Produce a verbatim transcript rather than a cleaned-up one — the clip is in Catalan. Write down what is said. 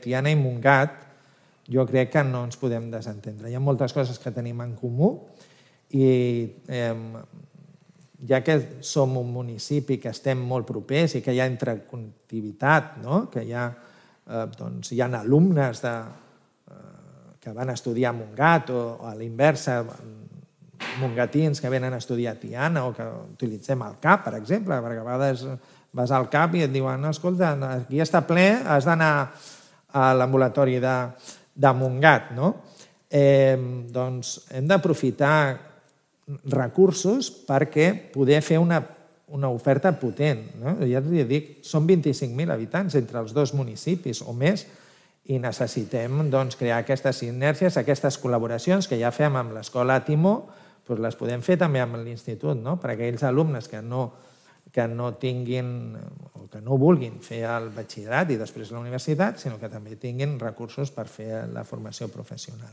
Tiana i Montgat jo crec que no ens podem desentendre. Hi ha moltes coses que tenim en comú i ja que som un municipi que estem molt propers i que hi ha interconnectivitat, que hi ha alumnes que van estudiar a Montgat o a l'inversa, mongatins que venen a estudiar a Tiana o que utilitzem el C A P, per exemple, perquè a vegades vas al C A P i et diuen escolta, aquí està ple, has d'anar a l'ambulatori de Montgat. Doncs hem d'aprofitar recursos perquè poder fer una oferta potent. Ja us dic, són vint-i-cinc mil habitants entre els dos municipis o més i necessitem crear aquestes sinergies, aquestes col·laboracions que ja fem amb l'Escola Timó, les podem fer també amb l'institut, per a aquells alumnes que no tinguin o que no vulguin fer el batxillerat i després la universitat, sinó que també tinguin recursos per fer la formació professional.